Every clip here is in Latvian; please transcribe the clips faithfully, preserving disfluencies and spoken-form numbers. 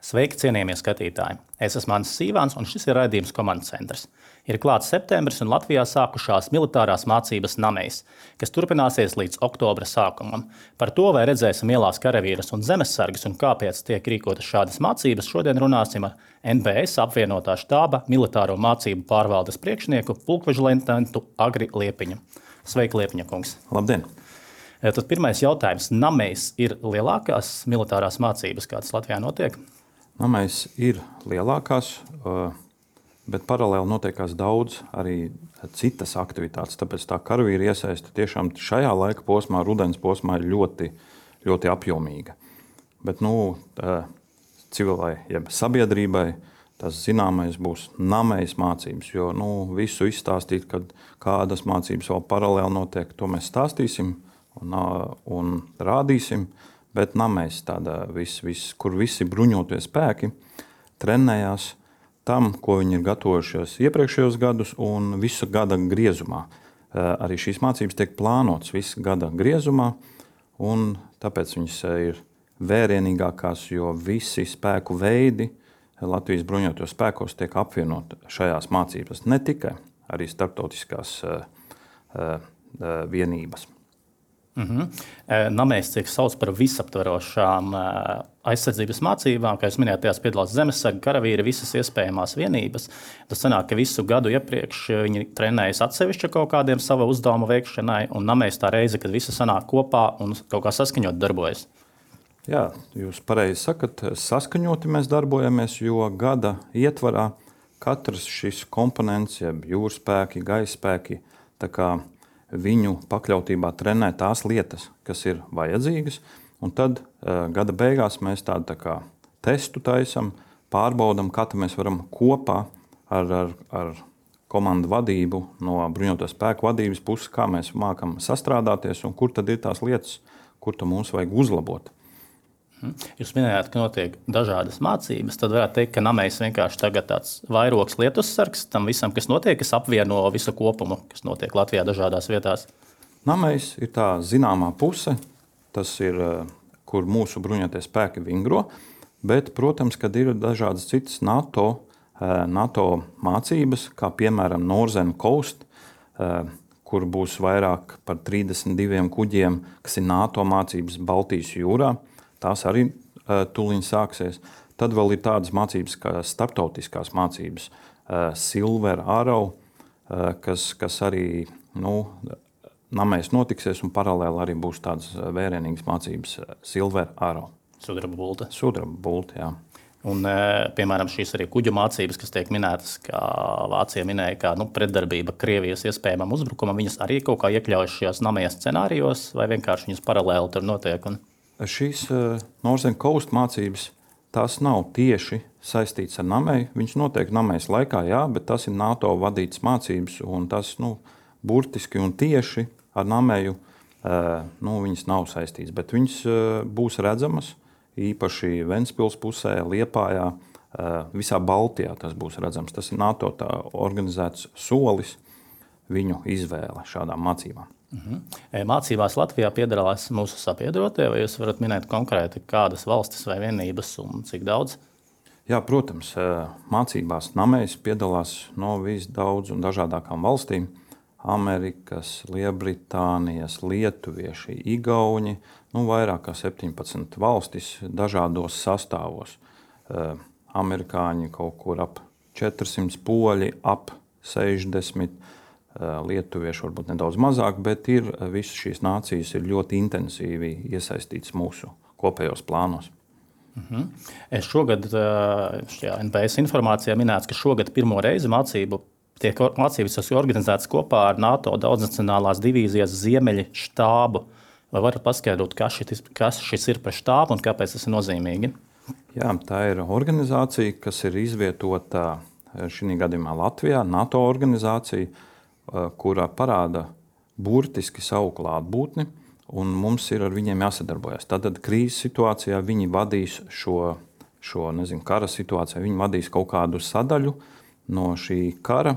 Sveiki, cienījamie skatītāji! Es esmu Mans Sīvāns, un šis ir raidījums Komandas centrs. Ir klāts septembris, un Latvijā sākušās militārās mācības Namejs, kas turpināsies līdz oktobra sākumam. Par to, vai redzēsim ielās karavīrus un zemesargus un kāpēc tiek rīkotas šādas mācības, šodien runāsim ar N B S apvienotā štāba militāro mācību pārvaldes priekšnieku pulkveža leitenantu Agri Liepiņu. Sveiki, Liepiņa kungs! Labdien! Tad pirmais jautājums. Namejs ir lielākās militārās mācības, kādas Latvijā notiek? Namejs ir lielākās, bet paralēli notiekās daudz arī citas aktivitātes. Tāpēc tā karavīra iesaiste tiešām šajā laika posmā, rudens posmā, ir ļoti, ļoti apjomīga. Bet nu, civilai, jeb sabiedrībai, tas zināmais būs Namejs mācības, jo nu, visu izstāstīt, kad kādas mācības vēl paralēli notiek, to mēs stāstīsim un, un rādīsim. Bet Namejs, tāda, vis, vis, kur visi bruņotie spēki trenējās tam, ko viņi ir gatavojušies iepriekšējos gadus un visu gada griezumā. Arī šīs mācības tiek plānotas visu gada griezumā, un tāpēc viņas ir vērienīgākās, jo visi spēku veidi Latvijas bruņotajos spēkos tiek apvienot šajās mācības. Ne tikai arī starptautiskās uh, uh, vienības. Mm-hmm. Namejs tiek sauc par visaptverošām aizsardzības mācībām, kā jūs minējāt, tajās piedalās zemesargi, karavīri, visas iespējamās vienības. Tas sanāk, ka visu gadu iepriekš viņi trenējas atsevišķi kaut kādiem sava uzdevuma veikšanai, un Namejs tā reize, kad visi sanāk kopā un kaut kā saskaņot darbojas. Jā, jūs pareizi sakat, saskaņoti mēs darbojamies, jo gada ietvarā katrs šis komponents, jeb jūrspēki, gaisspēki, tā kā viņu pakļautībā trenē tās lietas, kas ir vajadzīgas, un tad uh, gada beigās mēs tādu tā kā testu taisam, pārbaudam, kā mēs varam kopā ar, ar, ar komandu vadību no bruņoto spēku vadības puses, kā mēs mākam sastrādāties un kur tad ir tās lietas, kur tad mums vajag uzlabot. Jūs minējāt, ka notiek dažādas mācības, tad varētu teikt, ka Namejs vienkārši tagad tāds vairogs lietussargs tam visam, kas notiek, kas apvieno visu kopumu, kas notiek Latvijā dažādās vietās. Namejs ir tā zināmā puse, tas ir, kur mūsu bruņotie spēki vingro, bet, protams, kad ir dažādas citas NATO, NATO mācības, kā piemēram Northern Coast, kur būs vairāk par trīsdesmit diviem kuģiem, kas ir NATO mācības Baltijas jūrā. Tās arī uh, tuliņ sāksies. Tad vēl ir tādas mācības, kā starptautiskās mācības, uh, Silver Arrow, uh, kas, kas arī nu, Namejs notiksies, un paralēli arī būs tādas vērienīgas mācības uh, Silver Arrow. Sudraba bulta. Sudraba bulta, jā. Un, uh, piemēram, šīs arī kuģu mācības, kas tiek minētas, kā Vācija minēja, kā nu, pretdarbība Krievijas iespējamam uzbrukumam, viņas arī kaut kā iekļaujas šajos Nameja scenārijos, vai vienkārši viņas paralēli tur notiek? Un... Šīs uh, Northern Coast mācības, tās nav tieši saistītas ar Nameju. Viņš notiek Namejas laikā, jā, bet tas ir NATO vadītas mācības, un tas nu, burtiski un tieši ar Nameju uh, nu, viņas nav saistītas. Bet viņas uh, būs redzamas īpaši Ventspils pusē, Liepājā, uh, visā Baltijā tas būs redzams. Tas ir NATO tā organizēts solis, viņu izvēle šādām mācībām. Mhm. Mācībās Latvijā piedalās mūsu sabiedrotie, vai jūs varat minēt konkrēti, kādas valstis vai vienības un cik daudz? Jā, protams, mācībās Namejs piedalās no visdaudz un dažādākām valstīm. Amerikas, Lielbritānijas, lietuvieši, igauņi, nu vairāk kā septiņpadsmit valstis dažādos sastāvos. Amerikāņi kaut kur ap četrsimt, poļi ap sešdesmit, lietuvieši varbūt nedaudz mazāk, bet ir, visas šīs nācijas ir ļoti intensīvi iesaistītas mūsu kopējos plānos. Mhm. Šogad šajā N B S informācijā minēts, ka šogad pirmo reizi mācību tiek mācības organizētas kopā ar NATO daudznacionālās divīzijas Ziemeļi štābu. Vai varat paskaidrot, kas šis, kas šis ir par štābu un kāpēc tas ir nozīmīgi? Jā, tā ir organizācija, kas ir izvietota šī gadījumā Latvijā, NATO organizācija, kurā parāda burtiski savu klātbūtni, un mums ir ar viņiem jāsadarbojas. Tātad krīzes situācijā viņi vadīs šo, šo nezinu, kara situācijā, viņi vadīs kaut kādu sadaļu no šī kara,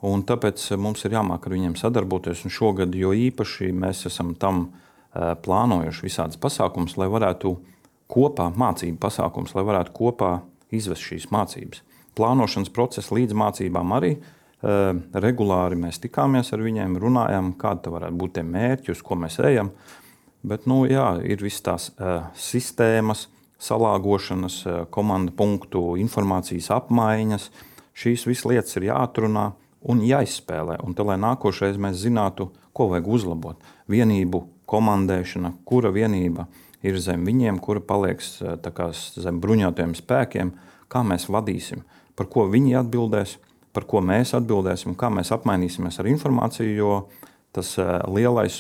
un tāpēc mums ir jāmāk ar viņiem sadarboties, un šogad jo īpaši mēs esam tam plānojuši visādas pasākumus, lai varētu kopā, mācību pasākums, lai varētu kopā izvest šīs mācības. Plānošanas procesa līdz mācībām arī uh, regulāri mēs tikāmies ar viņiem, runājām, kāda varētu būt tie mērķi, uz ko mēs ejam. Bet nu, jā, ir visas tās uh, sistēmas, salāgošanas, uh, komanda punktu, informācijas apmaiņas. Šīs visas lietas ir jāatrunā un jāizspēlē. Un tad, lai nākošais mēs zinātu, ko vajag uzlabot. Vienību komandēšana, kura vienība ir zem viņiem, kura palieks tā kā zem bruņotajiem spēkiem, kā mēs vadīsim, par ko viņi atbildēs, par ko mēs atbildēsim, kā mēs apmainīsimies ar informāciju, jo tas lielais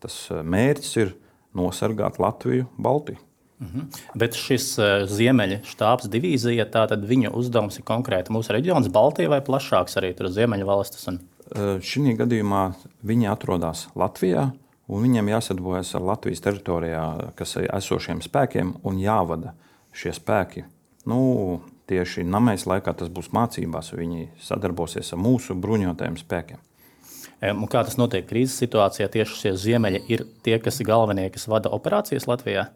tas mērķis ir nosargāt Latviju, Baltiju. Mhm. Bet šis Ziemeļa štābs divīzija, tātad viņa uzdevums ir konkrēti mūsu reģions Baltija vai plašāks arī tur Ziemeļa valstis? Un... Šī gadījumā viņi atrodas Latvijā, un viņiem jāsadarbojas ar Latvijas teritorijā, kas ir esošiem spēkiem, un jāvada šie spēki. Nu, tieši Namejas laikā tas būs mācībās, viņi sadarbosies ar mūsu bruņotajiem spēkiem. Un kā tas notiek krīzes situācijā? Tieši šie Ziemeļi ir tie, kas ir galvenie, kas vada operācijas Latvijā?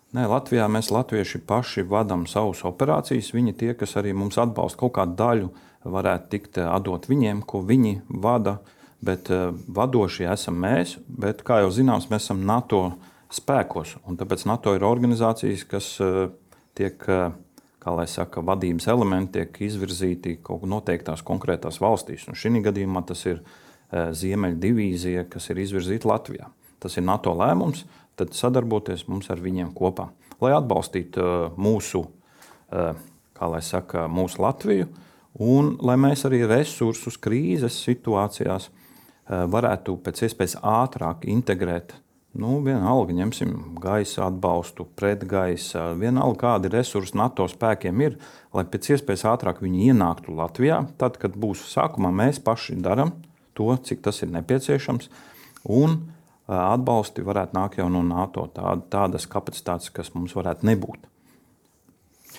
Nē, Latvijā mēs latvieši paši vadām savus operācijas. Viņi tie, kas arī mums atbalsta kaut kādu daļu, varētu tikt atdot viņiem, ko viņi vada, bet vadošie esam mēs. Bet, kā jau zināms, mēs esam NATO spēkos, un tāpēc NATO ir organizācijas, kas tiek, kā lai saka, vadības elementi tiek izvirzīti kaut noteiktās konkrētās valstīs. Un šī gadījumā tas ir Ziemeļa divīzija, kas ir izvirzīta Latvijā. Tas ir NATO lēmums, tad sadarboties mums ar viņiem kopā, lai atbalstītu mūsu, kā lai saka, mūsu Latviju, un lai mēs arī resursus krīzes situācijās varētu pēc iespējas ātrāk integrēt. Nu, vienalga, ņemsim gaisa atbalstu, pretgaisa, vienalga kādi resursi NATO spēkiem ir, lai pēc iespējas ātrāk viņi ienāktu Latvijā, tad, kad būs sākumā mēs paši daram to, cik tas ir nepieciešams, un atbalsti varētu nākt jau no NATO, tā, tādas kapacitātes, kas mums varētu nebūt.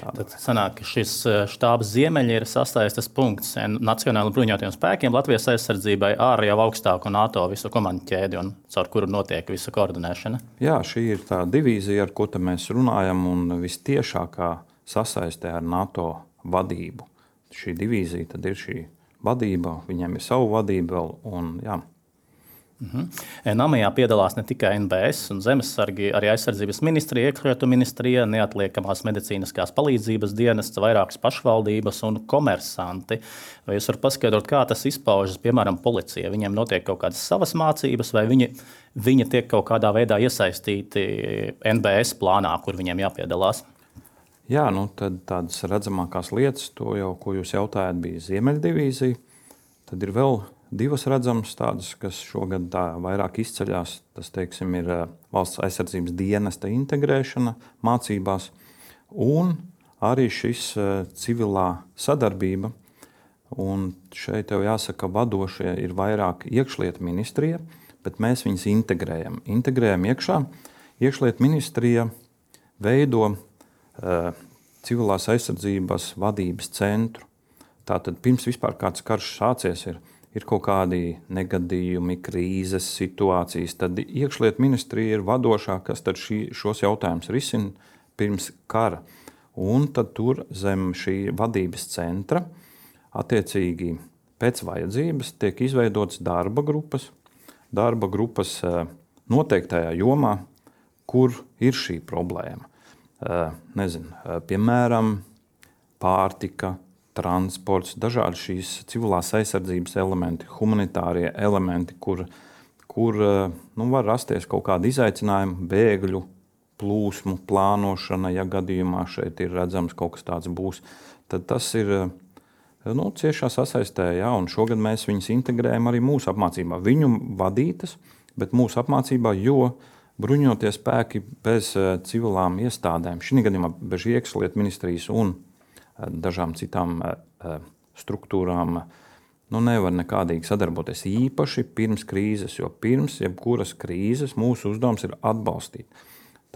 Tāda. Tad sanāk, ka šis štābs Ziemeļi ir sasaistes punkts Nacionālajiem bruņotajiem spēkiem, Latvijas aizsardzībai ar jau augstāku NATO visu komandu ķēdi, un caur kuru notiek visa koordinēšana. Jā, šī ir tā divīzija, ar ko mēs runājam, un vistiešākā sasaistē ar NATO vadību. Šī divīzija tad ir šī vadība, viņiem ir savu vadību vēl, un jā. Mhm. Namajā piedalās ne tikai N B S un Zemesargi, arī aizsardzības ministrija, iekšlietu ministrija, neatliekamās medicīniskās palīdzības dienests, vairākas pašvaldības un komersanti. Vai jūs varat paskaidrot, kā tas izpaužas, piemēram, policija? Viņiem notiek kaut kādas savas mācības, vai viņi, viņi tiek kaut kādā veidā iesaistīti N B S plānā, kur viņiem jāpiedalās? Jā, nu tad tādas redzamākās lietas, to jau, ko jūs jautājat, bija Ziemeļa divīzija. Tad ir vēl divas redzamas tādas, kas šogad tā vairāk izceļās. Tas, teiksim, ir valsts aizsardzības dienesta integrēšana mācībās un arī šis civilā sadarbība. Un šeit jau jāsaka, vadošie ir vairāk iekšlietu ministrija, bet mēs viņus integrējam. Integrējam iekšā. Iekšlietu ministrija veido uh, civilās aizsardzības vadības centru. Tātad pirms vispār kāds karš sācies ir, ir kaut kādi negadījumi, krīzes situācijas, tad iekšlietu ministrija ir vadošā, kas tad šī, šos jautājumus risina pirms kara. Un tad tur zem šī vadības centra attiecīgi pēc vajadzības tiek izveidotas darba grupas, darba grupas noteiktajā jomā, kur ir šī problēma. Nezinu, piemēram, pārtika, transports, dažādi šīs civilās aizsardzības elementi, humanitārie elementi, kur, kur nu, var rasties kaut kādi izaicinājumi, bēgļu plūsmu plānošana, ja gadījumā šeit ir redzams kaut kas tāds būs, tad tas ir nu, ciešā sasaistē, jā, un šogad mēs viņus integrējam arī mūsu apmācībā. Viņu vadītas, bet mūsu apmācībā, jo bruņotie spēki bez civilām iestādēm, šī gadījumā bez iekšlietu ministrijas un dažām citām struktūrām, nu, nevar nekādīgi sadarboties īpaši pirms krīzes, jo pirms jebkuras krīzes mūsu uzdevums ir atbalstīt.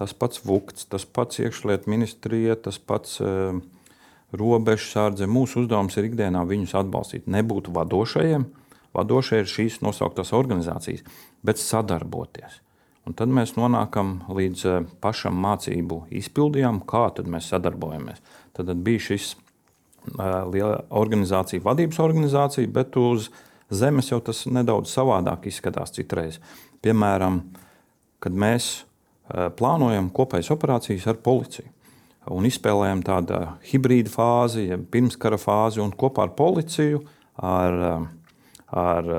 Tas pats Vukts, tas pats iekšlietu ministrija, tas pats uh, robežsardze. Mūsu uzdevums ir ikdienā viņus atbalstīt. Nebūt vadošajiem, vadošie ir šīs nosauktās organizācijas, bet sadarboties. Un tad mēs nonākam līdz pašam mācību izpildījām, kā tad mēs sadarbojamies. tad bija šis liela organizācija, vadības organizācija, bet uz zemes jau tas nedaudz savādāk izskatās citreiz. Piemēram, kad mēs plānojam kopējas operācijas ar policiju un izspēlējam tādu hibrīda fāzi, ja pirmskara fāzi, un kopā ar policiju, ar, ar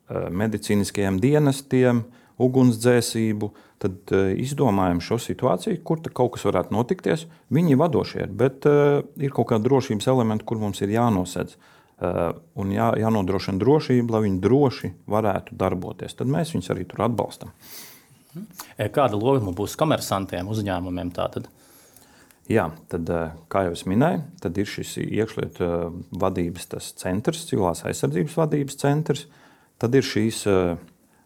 medicīniskajiem dienestiem, ugunsdzēsību, tad izdomājam šo situāciju, kur kaut kas varētu notikties. Viņi ir vadošie, bet uh, ir kaut kādi drošības elementi, kur mums ir jānosedz. Uh, un jā, jānodrošina drošība, lai viņi droši varētu darboties. Tad mēs viņus arī tur atbalstam. Kāda loma būs komersantiem, uzņēmumiem tātad? Jā, tad, kā jau es minēju, tad ir šis iekšlietu vadības tas centrs, civilās aizsardzības vadības centrs. Tad ir šīs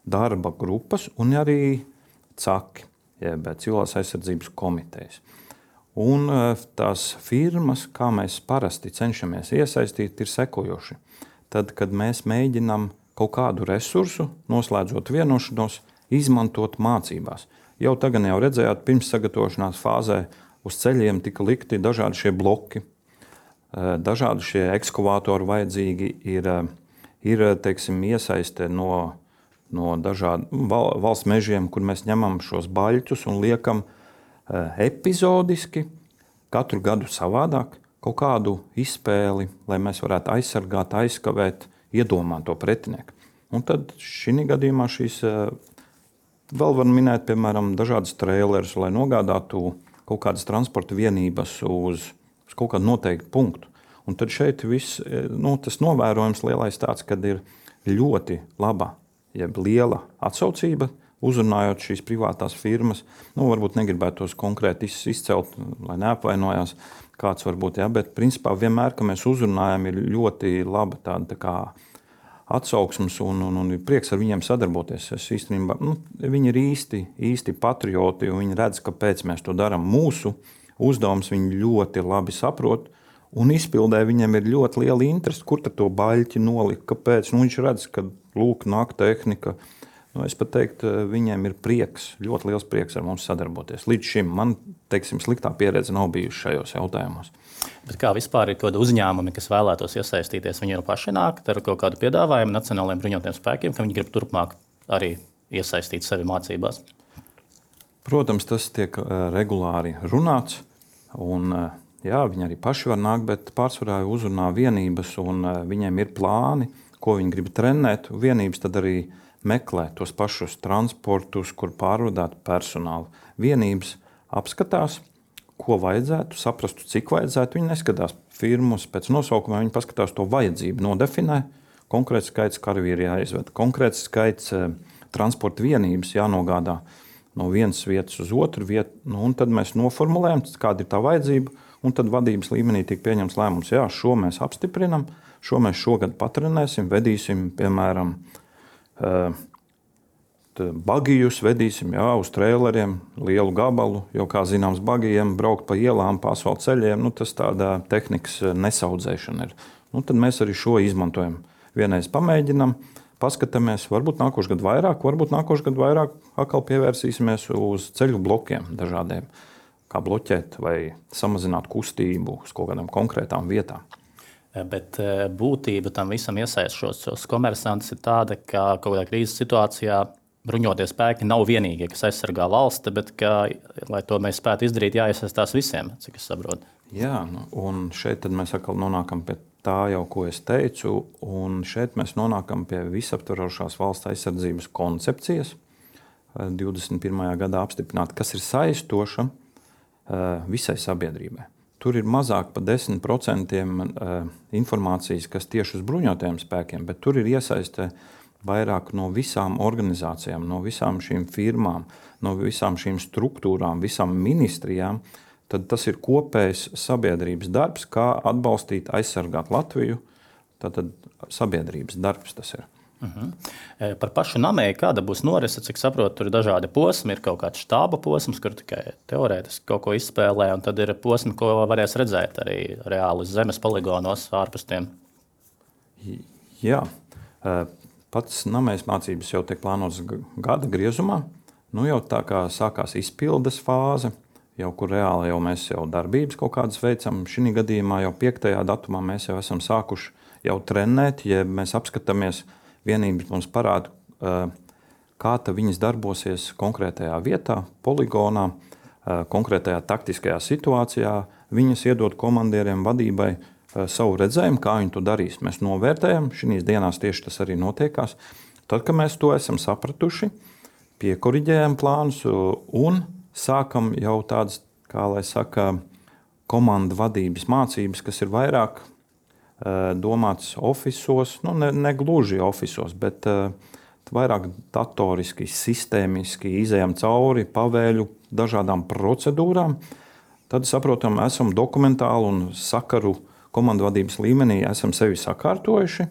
darba grupas un arī caki, jeb civilās aizsardzības komitejas. Un tās firmas, kā mēs parasti cenšamies iesaistīt, ir sekojoši. Tad, kad mēs mēģinām kaut kādu resursu, noslēdzot vienošanos, izmantot mācībās. Jau tagad jau redzējāt, pirms sagatavošanās fāzē uz ceļiem tika likti dažādi šie bloki, dažādi šie ekskavātori vajadzīgi ir, ir teiksim, iesaiste no, no dažādu valsts mežiem, kur mēs ņemam šos baļķus un liekam epizodiski, katru gadu savādāk, kaut kādu izspēli, lai mēs varētu aizsargāt, aizskavēt, iedomāt to pretinieku. Un tad šī gadījumā šīs vēl var minēt, piemēram, dažādas trailerus, lai nogādātu kaut kādas transporta vienības uz, uz kaut kādu noteiktu punktu. Un tad šeit viss, nu, tas novērojums lielais tāds, kad ir ļoti laba, jeb liela atsaucība, uzrunājot šīs privātās firmas. Nu, varbūt negribētu tos konkrēti izcelt, lai neapvainojās kāds varbūt, ja, bet principā vienmēr, ka mēs uzrunājam, ir ļoti laba tāda tā kā atsauksmes un, un, un ir prieks ar viņiem sadarboties. Es īstenībā, nu, viņi ir īsti, īsti patrioti un viņi redz, kāpēc mēs to darām. Mūsu uzdevums viņi ļoti labi saprot un izpildē viņiem ir ļoti liela interese, kur tad to baļķi nolikt, kāpēc. Nu, viņš redz, ka lūk, nāk tehnika. Nu, es pat teiktu, viņiem ir prieks, ļoti liels prieks ar mums sadarboties. Līdz šim man, teiksim, sliktā pieredze nav bijusi šajos jautājumos. Bet kā vispār ir kādi uzņēmumi, kas vēlētos iesaistīties, viņi jau paši nāk ar kaut kādu piedāvājumu nacionālajiem bruņotajiem spēkiem, ka viņi grib turpmāk arī iesaistīt sevi mācībās? Protams, tas tiek regulāri runāts, un jā, viņi arī paši var nākt, bet pārsvarā uzrunā vienības, un viņiem ir plāni, ko viņi grib trenēt. Vienības tad arī meklē tos pašus transportus, kur pārvadāt personālu. Vienības apskatās, ko vajadzētu, saprastu, cik vajadzētu. Viņi neskatās firmas pēc nosaukuma, viņi paskatās to vajadzību, nodefinē. Konkrēts skaits karavīri jāizved, konkrēts skaits e, transporta vienības jānogādā no vienas vietas uz otru vietu. Nu, un tad mēs noformulējam, kāda ir tā vajadzība, un tad vadības līmenī tiek pieņemts lēmums, jā, šo mēs apstiprinam, šo mēs šogad patrenēsim, vedīsim, piemēram, e, bagijus vedīsim, jā, uz traileriem, lielu gabalu, jo, kā zināms, bagijiem braukt pa ielām, pa asfalta ceļiem, nu, tas tāda tehnikas nesaudzēšana ir. Nu, tad mēs arī šo izmantojam. Vienreiz pamēģinam, paskatāmies, varbūt nākošu gadu vairāk, varbūt nākošu gadu vairāk atkal pievērsīsimies uz ceļu blokiem dažādiem, kā bloķēt vai samazināt kustību uz kaut kādām konkrētām vietām. Bet būtība tam visam iesaist šos komersantus ir tāda, ka kaut kādā krīzes situācijā bruņotie spēki nav vienīgie, kas aizsargā valsti, bet, ka, lai to mēs spētu izdarīt, jāiesaistās visiem, cik es saprotu. Jā, nu, un šeit tad mēs atkal nonākam pie tā jau, ko es teicu, un šeit mēs nonākam pie visaptverošās valsts aizsardzības koncepcijas, divdesmit pirmajā gadā apstiprināta, kas ir saistoša visai sabiedrībai. Tur ir mazāk par desmit procentiem informācijas, kas tieši uz bruņotajiem spēkiem, bet tur ir iesaiste vairāk no visām organizācijām, no visām šīm firmām, no visām šīm struktūrām, visām ministrijām, tad tas ir kopējs sabiedrības darbs, kā atbalstīt, aizsargāt Latviju. Tātad sabiedrības darbs tas ir. Uh-huh. Par pašu namēju, kāda būs norise, cik saprotu, tur ir dažādi posmi, ir kaut kāds štāba posms, kur tikai teorētiski kaut ko izspēlē, un tad ir posmi, ko varēs redzēt arī reāli uz zemes poligonos ārpus tiem. Jā. Pats namējas mācības jau tiek plānotas gada griezumā. Nu jau tā kā sākās izpildes fāze, jau kur reāli jau mēs jau darbības kaut kādas veicam. Šī gadījumā jau piektajā datumā mēs jau esam sākuši jau trenēt, ja mēs apskatāmies vienības mums parāda, kā ta viņas darbosies konkrētajā vietā, poligonā, konkrētajā taktiskajā situācijā. Viņas iedod komandieriem vadībai savu redzējumu, kā viņi to darīs. Mēs novērtējam, šīs dienās tieši tas arī notiekās. Tad, kad mēs to esam sapratuši, piekoriģējam plānus un sākam jau tādas, kā lai saka, komandu vadības mācības, kas ir vairāk uh, domātas ofisos, nu ne, ne gluži ofisos, bet uh, vairāk datoriski, sistēmiski izejam cauri pavēļu dažādām procedūrām. Tad, saprotam, esam dokumentāli un sakaru komandu vadības līmenī esam sevi sakārtojuši.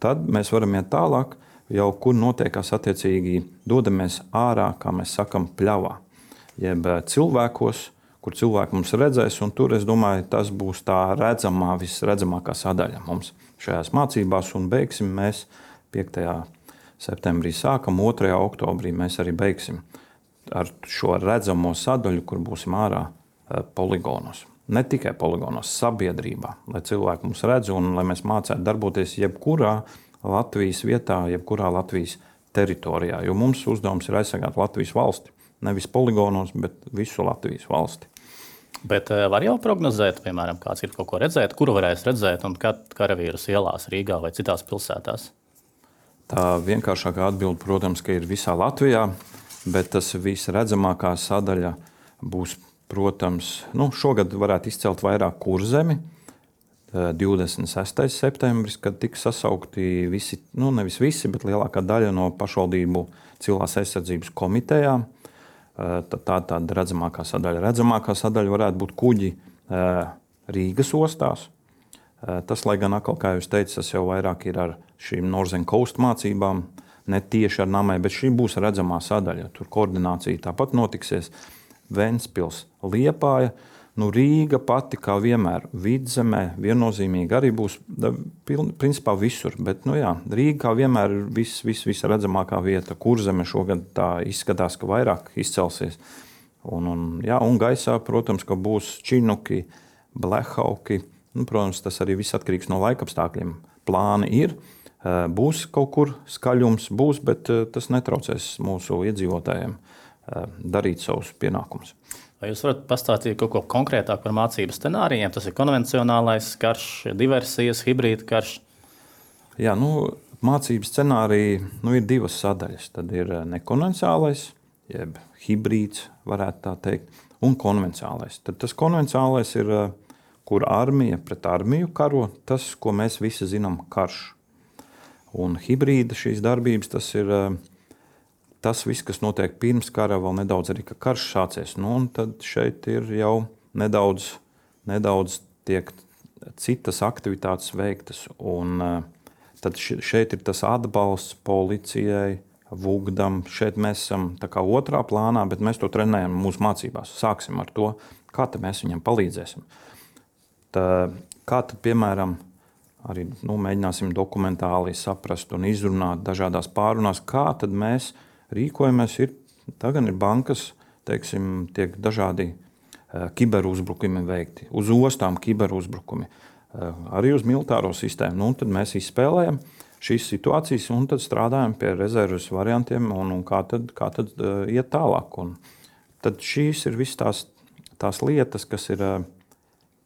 Tad mēs varam iet tālāk, jau kur notiekās attiecīgi dodamies ārā, kā mēs sakam, pļavā. Jeb cilvēkos, kur cilvēki mums redzēs, un tur, es domāju, tas būs tā redzamā, visredzamākā sadaļa mums šajās mācībās, un beigsim mēs piektajā septembrī sākam, otrajā oktobrī mēs arī beigsim ar šo redzamo sadaļu, kur būsim ārā poligonos. Ne tikai poligonos, sabiedrībā, lai cilvēki mums redz un lai mēs mācētu darboties jebkurā Latvijas vietā, jebkurā Latvijas teritorijā, jo mums uzdevums ir aizsargāt Latvijas valsti. Nevis poligonos, bet visu Latvijas valsti. Bet var jau prognozēt, piemēram, kāds ir kaut ko redzēt, kuru varēs redzēt un kad karavīrus ielās Rīgā vai citās pilsētās? Tā vienkāršākā atbilde, protams, ka ir visā Latvijā, bet tas visredzamākā sadaļa būs, protams, nu, šogad varētu izcelt vairāk Kurzemi, divdesmit sestais septembris, kad tika sasaukti visi, nu nevis visi, bet lielākā daļa no pašvaldību civilās aizsardzības komitejām. Tā tāda redzamākā sadaļa. Redzamākā sadaļa varētu būt kuģi Rīgas ostās. Tas, lai gan atkal, kā jūs teicat, tas jau vairāk ir ar šīm Northern Coast mācībām, ne tieši ar namai, bet šī būs redzamā sadaļa. Tur koordinācija tāpat notiksies. Ventspils, Liepāja, nu Rīga pati kā vienmēr, Vidzemē viennozīmīgi arī būs principā visur, bet nu jā, Rīga kā vienmēr ir vis, vis, visredzamākā vieta. Kurzeme šogad tā izskatās, ka vairāk izcelsies. Un, un, jā, un gaisā, protams, ka būs Činuki, Blehauki. Nu, protams, tas arī viss atkarīgs no laikapstākļiem. Plāni ir, būs kaut kur skaļums, būs, bet tas netraucēs mūsu iedzīvotājiem darīt savus pienākumus. Vai jūs varat pastāstīt kaut ko konkrētāk par mācību scenārijiem? Tas ir konvencionālais karš, diversijas, hibrīda karš. Jā, nu, mācību scenāriji nu, ir divas sadaļas. Tad ir nekonvencionālais, jeb hibrīds, varētu tā teikt, un konvencionālais. Tad tas konvencionālais ir, kur armija pret armiju karo, tas, ko mēs visi zinām, karš. Un hibrīda šīs darbības, tas ir tas viss, kas notiek pirms kara, vēl nedaudz arī, ka karš sācies. Nu, un tad šeit ir jau nedaudz, nedaudz tiek citas aktivitātes veiktas. Un tad šeit ir tas atbalsts policijai, Vugdam. Šeit mēs esam tā kā otrā plānā, bet mēs to trenējam mūsu mācībās. Sāksim ar to, kā tad mēs viņam palīdzēsim. Tā, kā tad, piemēram, arī nu, mēģināsim dokumentāli saprast un izrunāt dažādās pārunās, kā tad mēs rīkojamies. Ir, tagad ir bankas, teiksim, tiek dažādi uh, kiberuzbrukumi veikti, uz ostām kiberuzbrukumi, uh, arī uz militāro sistēmu. Nu, tad mēs izspēlējam šīs situācijas un tad strādājam pie rezerves variantiem un, un kā tad, kā tad uh, iet tālāk. Un tad šīs ir visas tās, tās lietas, kas ir uh,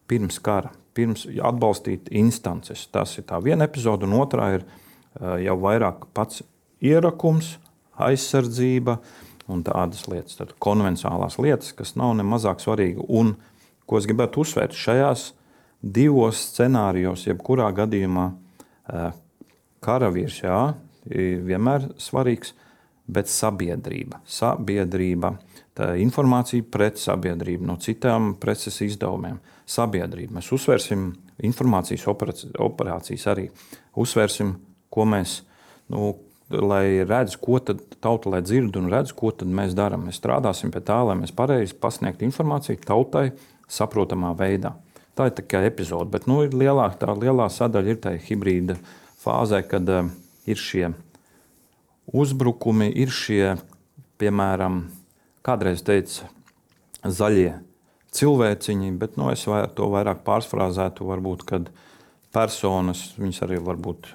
pirms kara, pirms atbalstīt instances. Tas ir tā viena epizode, un otrā ir uh, jau vairāk pats ierakums, aizsardzība un tādas lietas, tad konvencionālās lietas, kas nav ne mazāk svarīgi. Un, ko es gribētu uzsvērt, šajās divos scenārijos, jebkurā gadījumā karavīrs, jā, vienmēr svarīgs, bet sabiedrība. Sabiedrība, tā informācija pret sabiedrību, no citām preces izdevumiem. Sabiedrība. Mēs uzsvērsim informācijas operācijas arī. Uzsvērsim, ko mēs, nu, lai redz, ko tad tauta, lai dzird un redz, ko tad mēs darām. Mēs strādāsim pie tā, lai mēs pareizi pasniegtu informāciju tautai saprotamā veidā. Tā ir tikai epizode, bet nu, ir lielāk, tā lielā sadaļa ir tā hibrīda fāzē, kad uh, ir šie uzbrukumi, ir šie, piemēram, kādreiz teica, zaļie cilvēciņi, bet nu, es vai, to vairāk pārsfrāzētu, varbūt, kad personas, viņas arī varbūt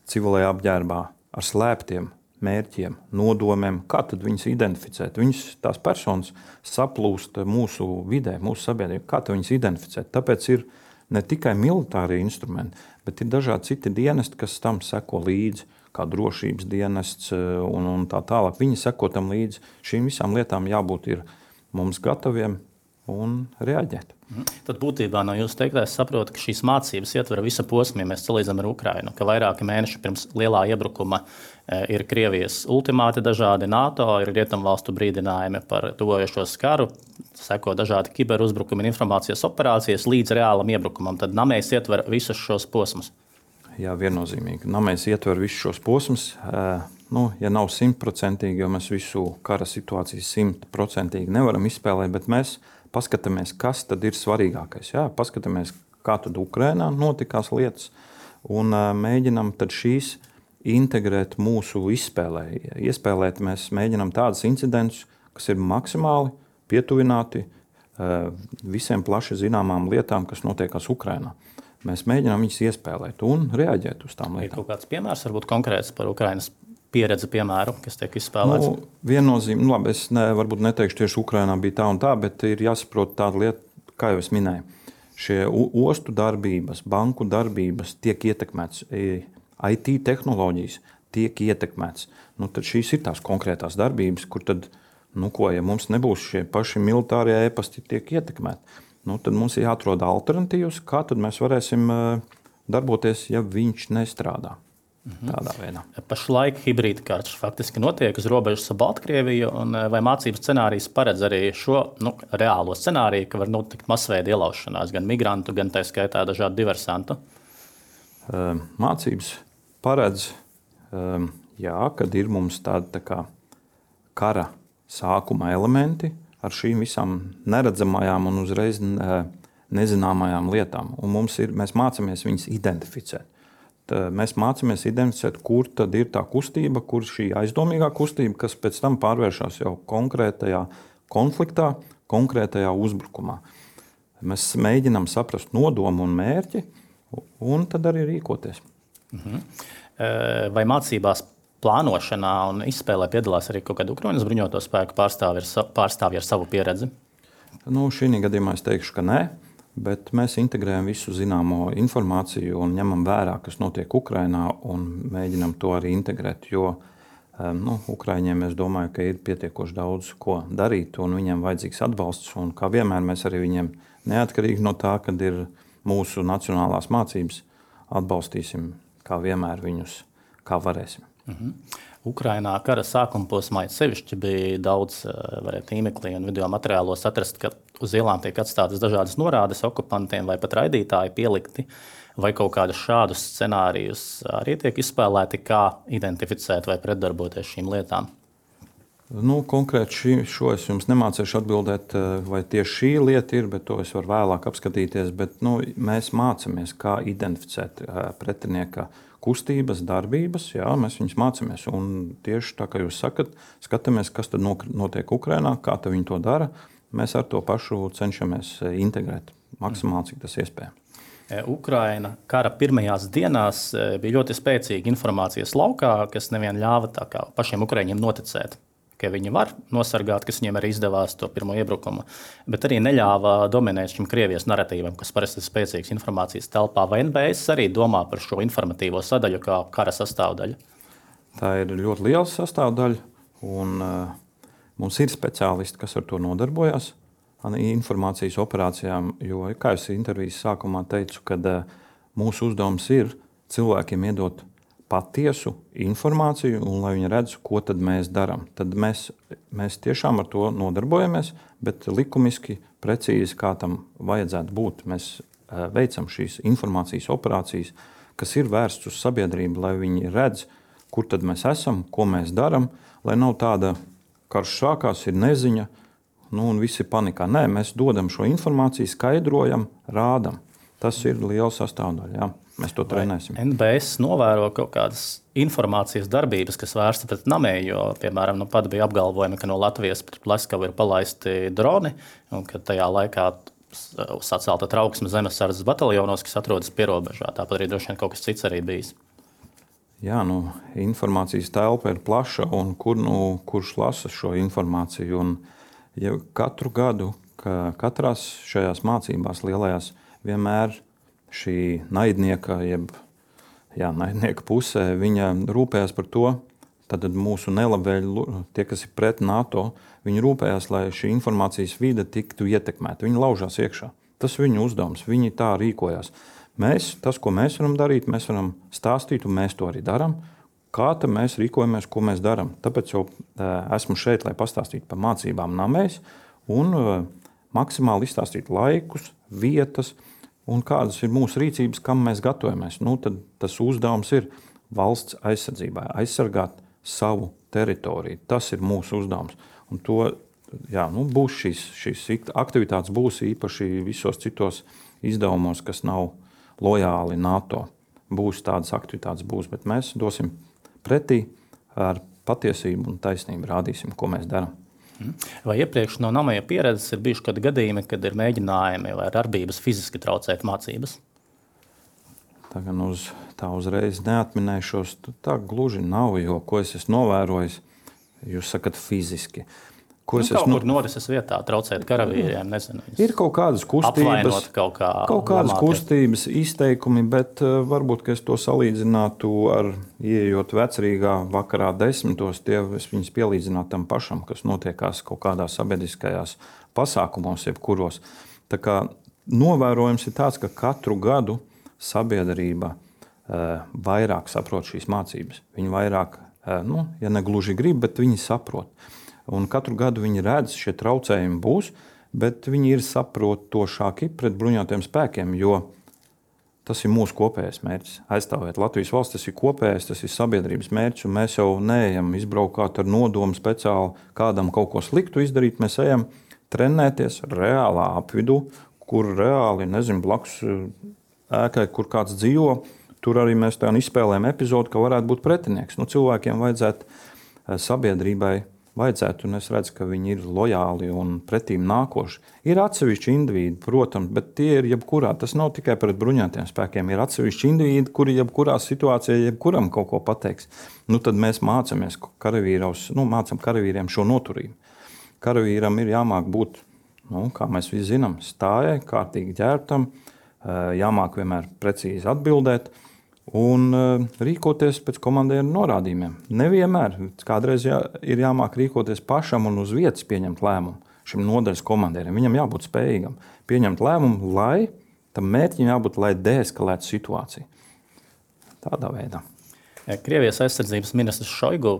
civilajā apģērbā ar slēptiem mērķiem, nodomiem, kā tad viņas identificēt. Viņas, tās personas saplūst mūsu vidē, mūsu sabiedrībā, kā tad viņas identificēt. Tāpēc ir ne tikai militārie instrumenti, bet ir dažādi citi dienesti, kas tam seko līdzi, kā drošības dienests un, un tā tālāk. Viņi seko tam līdzi. Šīm visām lietām jābūt ir mums gataviem un reaģēt. Tad būtībā no jūsu teiktā es saprotu, ka šīs mācības ietver visu posmu, ja mēs salīdzinām ar Ukrainu, ka vairāki mēneši pirms lielā iebrukuma ir Krievijas ultimāti dažādi NATO, ir rietumvalstu brīdinājumi par tuvojošos karu, seko dažādi kiberuzbrukumi un informācijas operācijas līdz reālam iebrukumam. Tad Namējs ietver visus šos posmus. Jā, viennozīmīgi. Namējs ietver visus šos posmus. Nu, ja nav simtprocentīgi, jo mēs visu kara situāciju simtprocentīgi nevaram izspēlēt, bet mēs paskatāmies, kas tad ir svarīgākais. Jā, paskatāmies, kā tad Ukrainā notikās lietas, un uh, mēģinam tad šīs integrēt mūsu izspēlē. Iespēlēt mēs mēģinam tādus incidentus, kas ir maksimāli pietuvināti uh, visiem plaši zināmām lietām, kas notiekās Ukrainā. Mēs mēģinām viņus iespēlēt un reaģēt uz tām lietām. Ir kaut kāds piemērs, varbūt konkrēts par Ukrainas pieredzi, piemēru, kas tiek izspēlēts? Nu, viennozīmīgi, nu, labi, es ne, varbūt neteikšu tieši Ukrainā bija tā un tā, bet ir jāsaprot tāda lieta, kā jau es minēju. Šie ostu darbības, banku darbības tiek ietekmēts, I T tehnoloģijas tiek ietekmēts. Nu, tad šīs ir tās konkrētās darbības, kur tad, nu ko, ja mums nebūs šie paši militārie ēpasti tiek ietekmēti, nu, tad mums ir jāatrod alternatīvas, kā tad mēs varēsim darboties, ja viņš nestrādā. Tādā veidā. Pašlaik hibrīda karš faktiski notiek uz robežas ar Baltkrieviju, un vai mācības scenārijs paredz arī šo nu, reālo scenāriju, ka var notikt masveida ielaušanās gan migrantu, gan tā skaitā dažādu diversantu? Mācības paredz, jā, kad ir mums tādi tā kā kara sākuma elementi ar šīm visām neredzamajām un uzreiz nezināmajām lietām, un mums ir, mēs mācāmies viņas identificēt. Mēs mācāmies identificēt, kur tad ir tā kustība, kur šī aizdomīgā kustība, kas pēc tam pārvēršas jau konkrētajā konfliktā, konkrētajā uzbrukumā. Mēs mēģinām saprast nodomu un mērķi, un tad arī rīkoties. Mhm. Vai mācībās plānošanā un izspēlē piedalās arī kaut kāda Ukrainas bruņoto spēku pārstāvji ar, pārstāvji ar savu pieredzi? Nu, šī gadījumā es teikšu, ka nē. Bet mēs integrējam visu zināmo informāciju un ņemam vērā, kas notiek Ukrainā, un mēģinam to arī integrēt. Jo nu, Ukraiņiem es domāju, ka ir pietiekoši daudz ko darīt, un viņiem vajadzīgs atbalsts. Un kā vienmēr mēs arī viņiem, neatkarīgi no tā, kad ir mūsu nacionālās mācības, atbalstīsim kā vienmēr viņus, kā varēsim. Mhm. Ukrainā kara sākuma posmā sevišķi bija daudz tīmeklī un video materiālos atrast, ka uz ielām tiek atstātas dažādas norādes okupantiem vai pat raidītāji pielikti, vai kaut kādus šādus scenārijus arī tiek izspēlēti, kā identificēt vai pretdarboties šīm lietām? Nu, konkrēti šī, šo es jums nemācīšu atbildēt, vai tieši šī lieta ir, bet to es varu vēlāk apskatīties. Bet, nu, mēs mācāmies, kā identificēt pretinieka kustības, darbības. Jā, mēs viņus mācāmies. Un tieši tā, kā jūs sakat, skatāmies, kas tad notiek Ukrainā, kā viņi to dara. Mēs ar to pašu cenšamies integrēt maksimāli, cik tas iespējams. Ukraina kara pirmajās dienās bija ļoti spēcīga informācijas laukā, kas nevien ļāva tā kā pašiem ukraiņiem noticēt, ka viņi var nosargāt, kas viņiem arī izdevās to pirmo iebrukumu, bet arī neļāva dominēt šim Krievijas naratīvam, kas parasti ir spēcīgs informācijas telpā. Vai N B S arī domā par šo informatīvo sadaļu kā kara sastāvdaļu? Tā ir ļoti liela sastāvdaļa, un uh, mums ir speciālisti, kas ar to nodarbojas, informācijas operācijām, jo, kā es intervijas sākumā teicu, kad uh, mūsu uzdevums ir cilvēkiem iedot patiesu informāciju, un lai viņi redz, ko tad mēs darām. Tad mēs, mēs tiešām ar to nodarbojamies, bet likumiski precīzi, kā tam vajadzētu būt. Mēs uh, veicam šīs informācijas operācijas, kas ir vērsts uz sabiedrību, lai viņi redz, kur tad mēs esam, ko mēs darām, lai nav tāda karš sākās, ir neziņa, nu, un visi panikā. Nē, mēs dodam šo informāciju, skaidrojam, rādam. Tas ir liela sastāvdaļa, jā. Mēs to trenēsim. N B S novēro kaut kādas informācijas darbības, kas vērsta pret namēju, jo, piemēram, nu pat bija apgalvojumi, ka no Latvijas pret Pleskavu ir palaisti droni, un ka tajā laikā sacelta trauksme zemesardzes bataljonos, kas atrodas pierobežā. Tāpat arī droši vien kaut kas cits arī bijis. Jā, nu, informācijas telpa ir plaša, un kur, nu, kurš lasa šo informāciju. Un, ja katru gadu, ka katrās šajās mācībās lielajās, vienmēr šī naidnieka, jeb jā, naidnieka pusē, viņa rūpējās par to, tad mūsu nelabvēļi, tie, kas ir pret NATO, viņi rūpējās, lai šī informācijas vide tiktu ietekmēta. Viņi laužās iekšā. Tas ir viņu uzdevums, viņi tā rīkojās. Mēs, tas, ko mēs varam darīt, mēs varam stāstīt, un mēs to arī darām. Kā tad mēs rīkojamies, ko mēs darām? Tāpēc jau esmu šeit, lai pastāstītu par mācībām namēs un maksimāli izstāstītu laikus, vietas un kādas ir mūsu rīcības, kam mēs gatavojamies. Nu, tad tas uzdevums ir valsts aizsardzībai, aizsargāt savu teritoriju. Tas ir mūsu uzdevums. Un to, jā, nu, būs šīs, šīs aktivitātes būs īpaši visos citos izdevumos, kas nav lojāli NATO. Būs tādas aktivitātes, būs, bet mēs dosim pretī ar patiesību un taisnību, rādīsim, ko mēs darām. Vai iepriekš no namēja pieredzes ir bijuši kādi gadījumi, kad ir mēģinājumi vai darbības fiziski traucēt mācības? Tā gan uz, tā uzreiz neatminēšos, tā gluži nav, jo ko es esmu novērojis, jūs sakat fiziski. Ko Nu, es kaut esmu kur norises vietā traucēt karavīriem, nezinu. viņus Ir kaut kādas kustības, apvainot kaut kā kaut kādas lamāties. kustības, izteikumi, bet uh, varbūt, ka es to salīdzinātu ar ieejot vecrīgā vakarā desmitos, tie es viņus pielīdzinātu tam pašam, kas notiekās kaut kādās sabiedriskajās pasākumos, jebkuros. Tā kā novērojums ir tāds, ka katru gadu sabiedrība uh, vairāk saprot šīs mācības. Viņi vairāk, uh, nu, ja ne gluži grib, bet viņi saprot. Un katru gadu viņi redz, šie traucējumi būs, bet viņi ir saprotošāki pret bruņotajiem spēkiem, jo tas ir mūsu kopējais mērķis. Aizstāvēt Latvijas valsts, tas ir kopējais, tas ir sabiedrības mērķis, un mēs jau neejam izbraukāt ar nodomu speciāli kādam kaut ko sliktu izdarīt. Mēs ejam trenēties reālā apvidū, kur reāli, nezinu, blakus ēkai, kur kāds dzīvo, tur arī mēs tā izspēlējam epizodu, ka varētu būt pretinieks. Nu, cilvēkiem vajadzētu sabiedrībai Vajadzētu, un es redzu, ka viņi ir lojāli un pretīm nākoši. Ir atsevišķi indivīdi, protams, bet tie ir jebkurā. Tas nav tikai pret bruņotajiem spēkiem. Ir atsevišķi indivīdi, kuri jebkurā situācijā jebkuram kaut ko pateiks. Nu, tad mēs mācāmies karavīros, nu, mācām karavīriem šo noturību. Karavīram ir jāmāk būt, nu, kā mēs visi zinām, stājai, kārtīgi ģērbtam, jāmāk vienmēr precīzi atbildēt un uh, rīkoties pēc komandieru norādījumiem. Nevienmēr. Kādreiz jā, ir jāmāk rīkoties pašam un uz vietas pieņemt lēmumu šim nodaļas komandierim. Viņam jābūt spējīgam pieņemt lēmumu, lai tam mērķim jābūt, lai deeskalētu situāciju. Tādā veidā. Krievijas aizsardzības ministrs Šoigu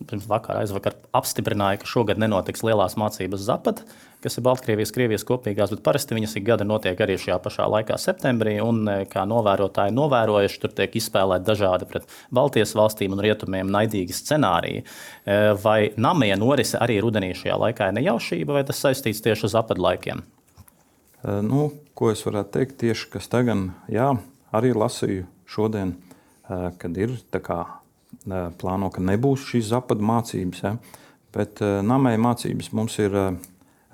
pirms vakar, aizvakar apstiprināja, ka šogad nenotiks lielās mācības Zapad, kas ir Baltkrievijas, Krievijas kopīgās, bet parasti viņas ik gada notiek arī šajā pašā laikā septembrī, un kā novērotāji novērojuši, tur tiek izspēlēti dažādi pret Baltijas valstīm un rietumiem naidīgi scenāriji. Vai namie norise arī rudenī šajā laikā ir nejaušība, vai tas saistīts tieši uz Zapad laikiem? Nu, ko es varētu teikt tieši, kas tagad, jā, arī lasīju šodien, kad ir tā kā plāno, ka nebūs šīs Zapad mācības, ja? Bet namēja mācības mums ir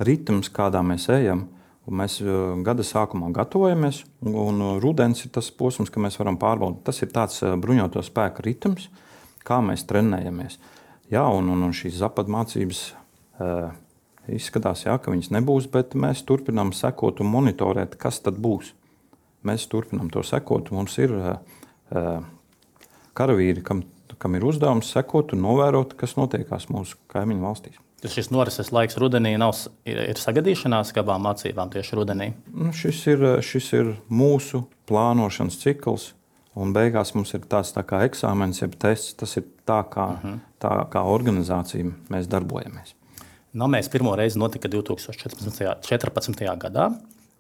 ritms, kādā mēs ejam, un mēs gada sākumā gatavojamies, un rudens ir tas posms, ka mēs varam pārbaudīt. Tas ir tāds bruņoto spēku ritms, kā mēs trenējamies. Jā, un, un, un šīs Zapad mācības uh, izskatās, jā, ka viņas nebūs, bet mēs turpinām sekot un monitorēt, kas tad būs. Mēs turpinām to sekot, mums ir uh, karavīri, kam, kam ir uzdevums sekot un novērot, kas notiekās mūsu kaimiņu valstīs. Tas šis norises laiks rudenī nav, ir, ir sagadīšanās kā abām mācībām tieši rudenī? Nu, šis, ir, šis ir mūsu plānošanas cikls, un beigās mums ir tāds tā kā eksāmens, jeb tests. Tas ir tā kā, uh-huh. tā kā organizācija mēs darbojamies. Namēs pirmo reizi notika divi tūkstoši četrpadsmitajā gadā.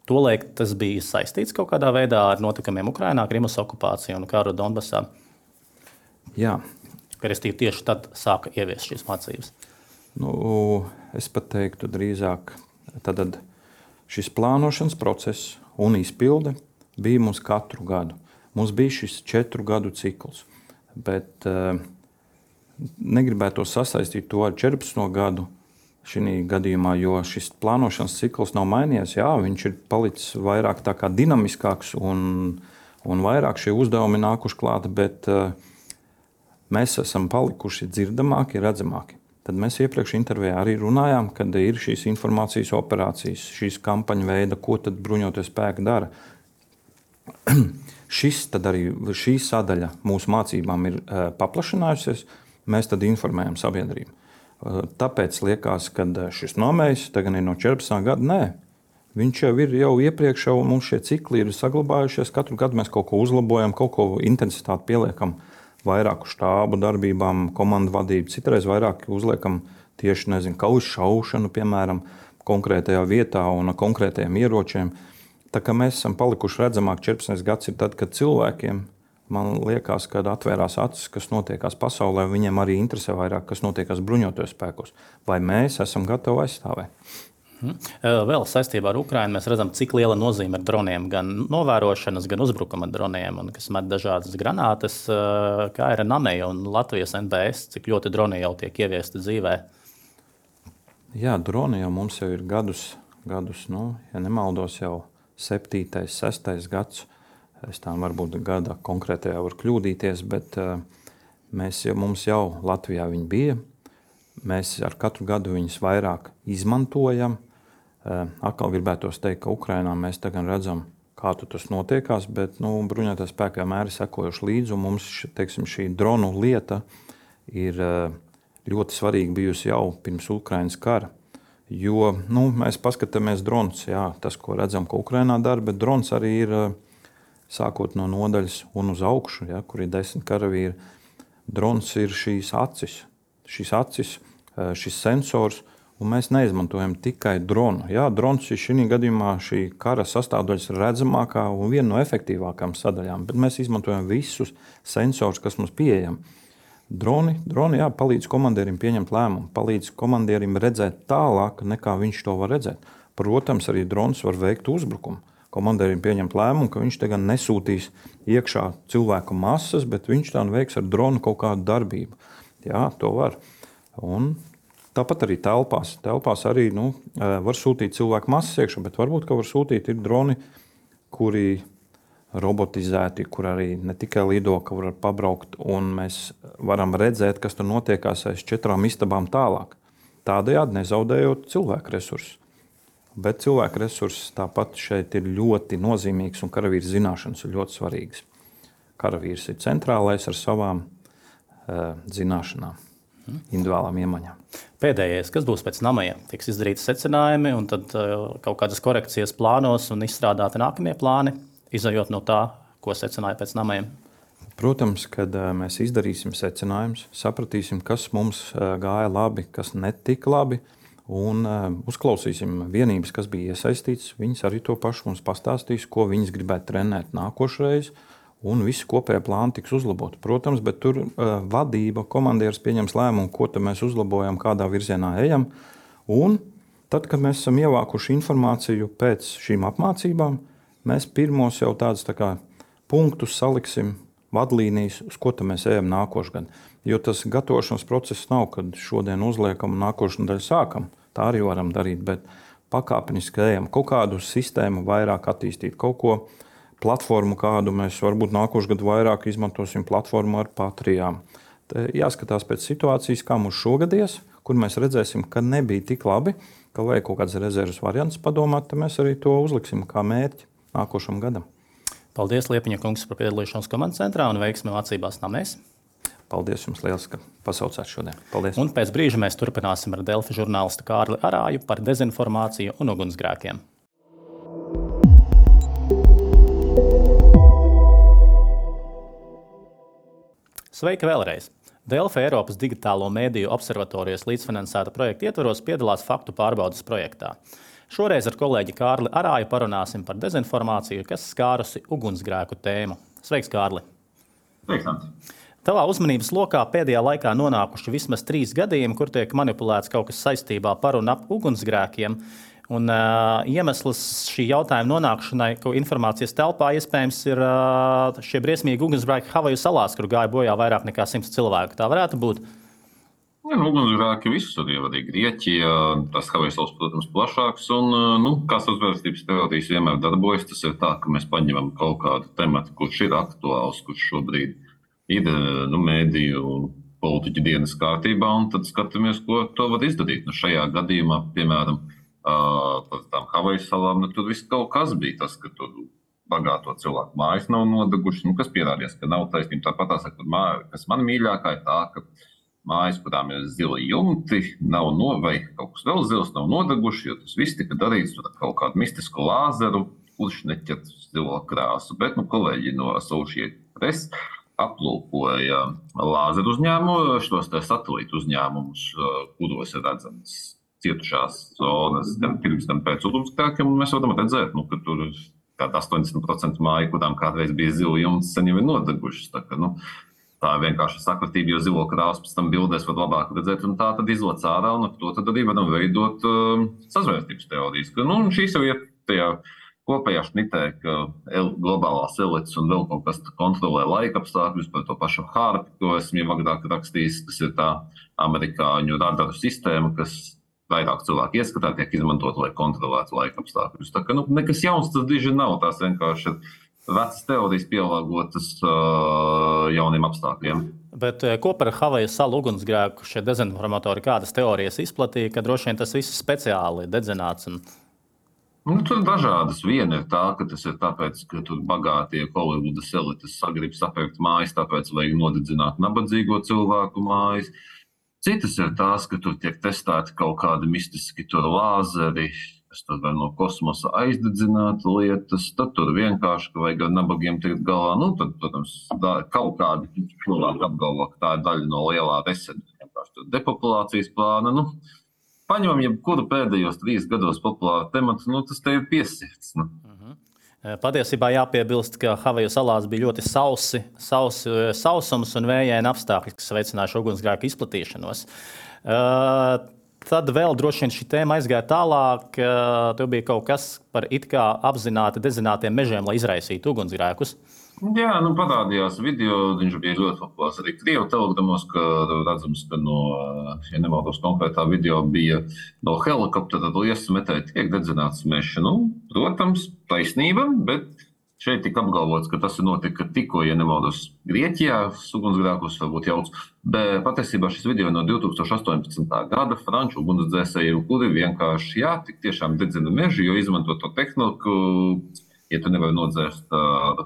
Tolaik tas bija saistīts kaut kādā veidā ar notikumiem Ukrainā, Krimas okupāciju un karu Donbasā. Jā. Restīvi tieši tad sāka ieviest šīs mācības. Nu, es pat teiktu drīzāk, tad šis plānošanas process un izpilde bija mums katru gadu. Mums bija šis četru gadu cikls, bet uh, negribētu sasaistīt to ar četrpadsmito gadu šī gadījumā, jo šis plānošanas cikls nav mainījies. Jā, viņš ir palicis vairāk tā kā dinamiskāks un, un vairāk šie uzdevumi nākuši klāt, bet uh, mēs esam palikuši dzirdamāki, redzamāki. Tad mēs iepriekš intervijā arī runājām, kad ir šīs informācijas operācijas, šīs kampaņu veida, ko tad bruņotie spēki dara. Šis tad arī šī sadaļa mūsu mācībām ir uh, paplašinājusies, mēs tad informējam sabiedrību. Uh, tāpēc liekas, ka šis nomējs tagad ir no četrpadsmitā gada, nē. Viņš jau ir jau iepriekš, jau mums šie cikli ir saglabājušies, katru gadu mēs kaut ko uzlabojam, kaut ko intensitāti pieliekam. Vairāku štābu darbībām, komandu vadību, citreiz vairāk uzliekam tieši, nezinu, kaujas šaušanu, piemēram, konkrētajā vietā un konkrētajiem ieročiem. Tā kā mēs esam palikuši redzamāk, četrpadsmitais gads ir tad, kad cilvēkiem, man liekas, kad atvērās acis, kas notiekās pasaulē, viņiem arī interesē vairāk, kas notiekās bruņotajos spēkos. Vai mēs esam gatavi aizstāvēt? Hmm. Vēl saistībā ar Ukrainu mēs redzam, cik liela nozīme ir droniem, gan novērošanas, gan uzbrukuma droniem, un kas met dažādas granātas, kā ir Nameja un Latvijas N B S, cik ļoti droni jau tiek ieviesti dzīvē. Jā, droni jau mums jau ir gadus, gadus nu, ja nemaldos, jau septītais, sestais gads. Es tā varbūt gada konkrētajā var kļūdīties, bet uh, mēs jau, mums jau Latvijā viņi bija. Mēs ar katru gadu viņus vairāk izmantojam. Atkal gribētos teikt, ka Ukrainā mēs tagad redzam, kā tas notiekās, bet nu, bruņotie spēki vienmēr ir sekojuši līdzi, un mums teiksim, šī dronu lieta ir ļoti svarīga bijusi jau pirms Ukrainas kara. Jo nu, mēs paskatāmies drons, jā, tas, ko redzam, ko Ukrainā dara, bet drons arī ir sākot no nodaļas un uz augšu, ja, kur ir desmit karavīri. Drons ir šīs acis, šīs acis, šis sensors, un mēs neizmantojam tikai dronu. Jā, drons ir šī gadījumā šī kara sastāvdaļas redzamākā un viena no efektīvākām sadaļām, bet mēs izmantojam visus sensors, kas mums pieejam. Droni, droni jā, palīdz komandierim pieņemt lēmumu, palīdz komandierim redzēt tālāk, nekā viņš to var redzēt. Protams, arī drons var veikt uzbrukumu. Komandierim pieņemt lēmumu, ka viņš tagad nesūtīs iekšā cilvēku masas, bet viņš tā veiks ar dronu kaut kādu darbību. Jā, to var. Un tāpat arī telpās. Telpās arī nu, var sūtīt cilvēku masas iekšā, bet varbūt, ka var sūtīt ir droni, kuri robotizēti, kur arī ne tikai lido, ka var pabraukt, un mēs varam redzēt, kas tur notiekās aiz četrām istabām tālāk. Tādējādi nezaudējot cilvēku resursus. Bet cilvēku resursus tāpat šeit ir ļoti nozīmīgs, un karavīra zināšanas ir ļoti svarīgas. Karavīrs ir centrālais ar savām uh, zināšanām. Individuālām iemaņām. Pēdējais, kas būs pēc Nameja, tiks izdarīti secinājumi un tad uh, kaut kādas korekcijas plānos un izstrādāti nākamie plāni, izējot no tā, ko secināja pēc Nameja. Protams, kad uh, mēs izdarīsim secinājumus, sapratīsim, kas mums uh, gāja labi, kas netika labi, un uh, uzklausīsim vienības, kas bija iesaistīts. Viņas arī to pašu mums pastāstīs, ko viņas gribētu trenēt nākošreiz, un visi kopējā plāni tiks uzlaboti. Protams, bet tur uh, vadība, komandieris pieņems lēmumu, ko mēs uzlabojam, kādā virzienā ejam. Un tad, kad mēs esam ievākuši informāciju pēc šīm apmācībām, mēs pirmos jau tādus tā kā punktus saliksim, vadlīnijas, uz ko mēs ejam nākošgad. Jo tas gatavošanas process nav, kad šodien uzliekam un nākošu daļu sākam. Tā arī varam darīt, bet pakāpeniski ejam. Kaut kādu sistēmu vairāk attīstīt, kaut ko platformu kādu mēs varbūt nākošu gadu vairāk izmantosim platformu ar patrijām. Te jāskatās pēc situācijas, kā mums šogad ies, kur mēs redzēsim, ka nebija tik labi, ka vajag kaut kāds rezerves variants padomāt, tad mēs arī to uzliksim kā mērķi nākošam gadam. Paldies, Liepiņa kungs, par piedalīšanos komandas centrā un veiksmi mācībās Namēs. Paldies jums liels, ka pasaucāt šodien. Paldies. Un pēc brīža mēs turpināsim ar Delfi žurnālistu Kārli Arāju par dezinformāciju un ugunsgrēkiem. Sveiki vēlreiz! Delfi Eiropas digitālo mēdīju observatorijas līdzfinansēta projekta ietvaros piedalās faktu pārbaudes projektā. Šoreiz ar kolēģi Kārli Arāju parunāsim par dezinformāciju, kas skārusi ugunsgrēku tēmu. Sveiks, Kārli! Sveiks, Anti! Tavā uzmanības lokā pēdējā laikā nonākuši vismaz trīs gadījumi, kur tiek manipulēts kaut kas saistībā par un ap ugunsgrēkiem. Un, uh, iemesls šī jautājuma nonākšanai informācijas telpā iespējams ir uh, šie briesmīgi ugunsgrēki Havaju salās, kur gāja bojā vairāk nekā simts cilvēku. Tā varētu būt. Ja, nu, ugunsgrēki visur jau arī Grieķijā, tas Havaju salas, protams, plašāks. Un, nu, kā sazvērstības teorijas vienmēr darbojas, tas ir tā, ka mēs paņemam kaut kādu tematu, kurš ir aktuāls, kurš šobrīd ir nu, mēdīju un politiķu dienas kārtībā, un tad skatāmies, ko to var izdarīt. Nu, šajā gadījumā, piemēram, Uh, par tām Havaju salām, nu, tur viss kaut kas bija tas, ka tur bagāto cilvēku mājas nav nodegušas, nu, kas pierādījās, ka nav taisnība. Tāpat tā saka, māja, kas man mīļākā ir tā, ka mājas, kurām ir zili jumti, nav no, vai kaut kas vēl zils nav nodeguši, jo tas viss tika darīts ar kaut kādu mistisku lāzeru, kurš neķer zilo krāsu. Bet, nu, kolēģi no Associated Press aplūkoja lāzeru uzņēmumu, šos te satelītu uzņēmumus, kuros ir redzams cietušās zonas gan pirms, gan pēc ugunsgrēkiem, un mēs varam redzēt, nu, ka tur ir kāda astoņdesmit procenti māju, kurām kādreiz bija zila jumts, sen jau ir nodegušas. Tā, ka, nu, tā ir vienkārši sakritība, jo zilo krāsu pēc tam bildēs var labāk redzēt, un tā tad izlec ārā, un ar to tad arī varam veidot uh, sazvērstības teorijas. Ka, nu, šīs jau ir tajā kopējā šnitē, ka el, globālās elites un vēl kaut kas kontrolē laika apstākļus par to pašu hārpi, ko esmu jau agrāk rakstījis, kas ir tā amerikāņu radaru sistēma, kas vairāk cilvēku ieskatā tiek izmantot, lai kontrolētu laika apstākļus. Tā ka nu, nekas jauns tas diži nav, tās vienkārši ir vecas teorijas pielāgotas uh, jauniem apstākļiem. Bet ko par Havaju salu ugunsgrēku šie dezinformatori kādas teorijas izplatīja, ka droši vien tas viss speciāli dedzināts? Un... Nu, tur dažādas. Viena ir tā, ka tas ir tāpēc, ka tur bagātie Holivudas elites sagrib sapirkt mājas, tāpēc vajag nodedzināt nabadzīgo cilvēku mājas. Citas ir tās, ka tur tiek testēti kaut kādi mistiski tur lāzeri, kas tur var no kosmosa aizdedzināt lietas, tad tur vienkārši, ka vajag ar nabagiem tikt galā. Nu, tad, protams, tā, kaut kādi cilvēki apgalvo, ka tā ir daļa no lielā reseta, vienkārši tur depopulācijas plāna. Nu, paņemam jebkuru pēdējos trīs gados populāru tematu, nu, tas te ir piesirds. Nu. Patiesībā jāpiebilst, ka Havaju salās bija ļoti sausi, sausi, sausums un vējaini apstākļi, kas veicināja ugunsgrēku izplatīšanos. Uh, tad vēl droši vien šī tēma aizgāja tālāk, uh, tur bija kaut kas par it kā apzināti dedzinātiem mežiem, lai izraisītu ugunsgrēkus. Jā, nu parādījās video, viņš bija ļoti populārs arī Krievu telegramos, ka redzams, ka no, ja nemaldos konkrētā video bija no helikoptera liesas metēji tiek dedzināts mežs. Nu, protams, taisnība, bet šeit tika apgalvots, ka tas ir notika tikko, ja nemaldos Grieķijā, ugunsgrēkus varbūt jauc, bet patiesībā šis video no divi tūkstoši astoņpadsmitā gada franču ugunsdzēsēju, kuri vienkārši, jā, tik tiešām dedzina mežu, jo izmanto to tehniku, ja tu nevari nodzēst uh,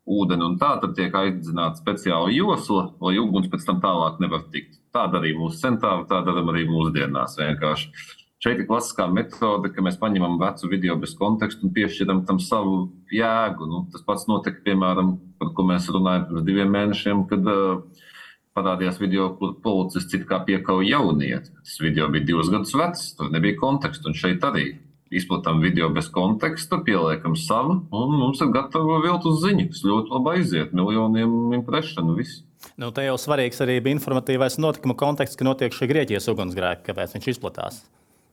ūdeni un tā, tad tiek aizdedzināta speciāla josla, lai uguns pēc tam tālāk nevar tikt. Tā darīja mūsu centāri, tā daram arī mūsdienās vienkārši. Šeit ir klasiskā metode, ka mēs paņemam vecu video bez kontekstu un piešķiram tam savu jēgu. Nu, tas pats notika, piemēram, par ko mēs runājam pirms diviem mēnešiem, kad uh, parādījās video, kur policists it kā piekauja jaunieti. Tas video bija divus gadus vecs, tur nebija kontekstu, un šeit arī. Izplatām video bez konteksta, pieliekam savu, un mums ir gatava viltus ziņa, kas ļoti labi aiziet, miljoniem imprešanu, viss. Nu, te jau svarīgs arī bija informatīvais notikuma konteksts, ka notiek šie Grieķijas ugunsgrēki, kāpēc viņš izplatās.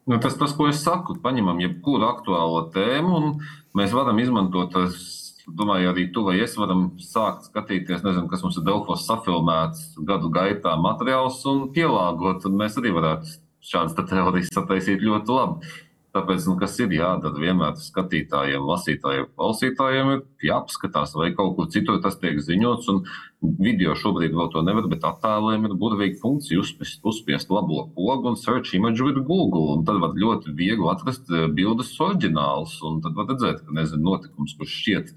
Nu, tas, tas, ko es saku, paņemam jebkuru aktuālo tēmu, un mēs varam izmantot, es domāju, arī tu vai es varam sākt skatīties, nezinu, kas mums ir Delfos safilmēts gadu gaitā materiāls un pielāgot, un mēs arī varētu šādas teorijas sataisīt ļoti labi. Tāpēc, nu, kas ir jādara vienmēr skatītājiem, lasītājiem, klausītājiem, ir jāapskatās, vai kaut kur citur tas tiek ziņots, un video šobrīd vēl to nevar, bet attēliem ir burvīga funkcija uzspiest, uzspiest labo pogu un search image with Google, un tad var ļoti viegli atrast bildes oriģināls, un tad var redzēt, ka, nezinu, notikums, kurš šķiet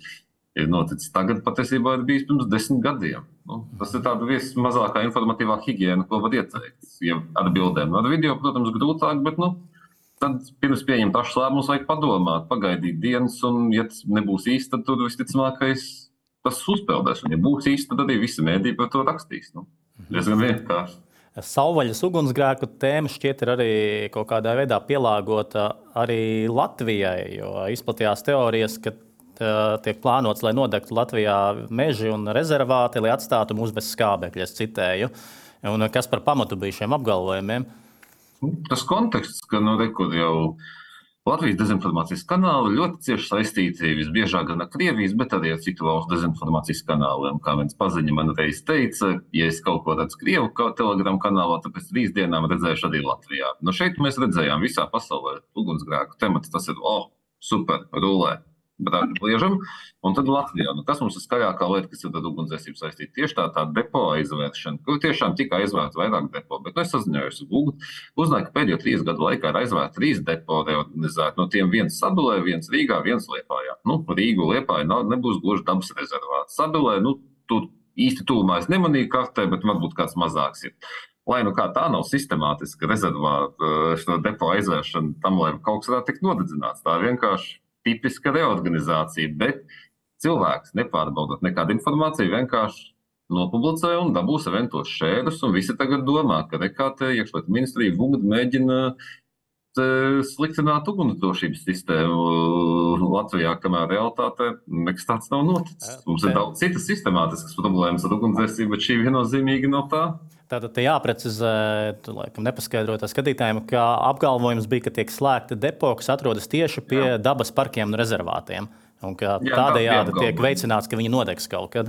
ir noticis tagad, patiesībā ir bijis pirms desmit gadiem. Nu, tas ir tāda vismazākā informatīvā higiēna, ko var ieteikt. Ja ar bildēm, ar video, protams, grūtāk, bet, nu, tad pirms pieņemt pašus lēmumus vajag padomāt, pagaidīt dienas, un ja tas nebūs īsti, tad tur visticamākais tas uzpeldēs. Un ja būs īsti, tad arī visi mēdī par to rakstīs. Nu, diezgan vienkārši. Savvaļas ugunsgrēku tēma šķiet ir arī kaut kādā veidā pielāgota arī Latvijai, jo izplatījās teorijas, ka tiek plānots, lai nodegtu Latvijā meži un rezervāti, lai atstātu mūs bez skābekļa, es citēju. Un kas par pamatu bija šiem apgalvojumiem? Tas konteksts, ka nu, rekur jau Latvijas dezinformācijas kanāli ļoti cieši saistīti visbiežāk gan ar Krievijas, bet arī ar citu valstu dezinformācijas kanāliem. Kā viens paziņa man reiz teica, ja es kaut ko redzu Krievu telegram kanālā, tad pēc trīs dienām redzēšu arī Latvijā. Nu šeit mēs redzējām visā pasaulē ugunsgrēku temats, tas ir, oh, super, rulē. Liežam, un tad Latvijā. Nu, kas mums ir skaļākā lieta, kas ir ar ugunsdzēsību saistīta? Tieši tā tā depo aizvēršana, kur tiešām tika aizvērta vairāk depo, bet nu, es saziņojos ar Google, uzzināju, ka pēdējo trīs gadu laikā ir aizvērta trīs depo reorganizēti. No tiem viens Sabilē, viens Rīgā, viens Liepājā. Nu, Rīgu Liepāja nebūs gluži dabas rezervāts. Sabilē, nu, tur īsti tūmā es nemanīju kartē, bet varbūt kāds mazāks ir. Lai nu kā tā nav sistemātiska rezervāta šo depo aizvēršana tam, lai kaut kas varētu tikt nodedzināts. Tā vienkārši tipiska reorganizācija, bet cilvēks nepārbaudot nekādu informāciju, vienkārši nopublicē un dabūs eventos šērus, un visi tagad domā, ka nekā te iekšlietu ministrija Vugda mēģina sliktināt ugunsdrošības sistēmu Latvijā, kamēr realitātē nekas tāds nav noticis. Mums ir daudz citas sistemātiskas problēmas ar ugunsdzēsību, bet šī viennozīmīgi nav tā. Tātad te jāprecizē, laikam nepaskaidrotā skatītājiem, ka apgalvojums bija, ka tiek slēgta depo, kas atrodas tieši pie Jā. dabas parkiem un rezervātiem. Un ka Jā, tādējādi tiek veicināts, ka viņi nodegs kaut kad.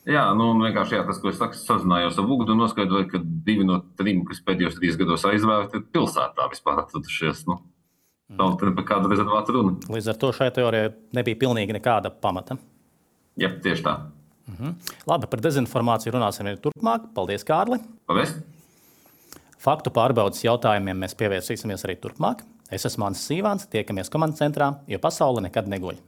Jā, nu vienkārši jā, tas, ko es saku, sazinājos ar Vugdu un noskaidroju, ka divi no trim, kas pēdējos trīs gados aizvērti, ir pilsētā vispār atradušies. Nu, nav te par kādu rezervātu runa. Līdz ar to šai teorijai nebija pilnīgi nekāda pamata. Jā, tieši tā. Mhm. Labi, par dezinformāciju runāsim arī turpmāk. Paldies, Kārli. Paldies. Faktu pārbaudas jautājumiem mēs pievērsīsimies arī turpmāk. Es esmu Mānis Sīvāns, tiekamies komandas centrā, jo pasaule nekad neguļ.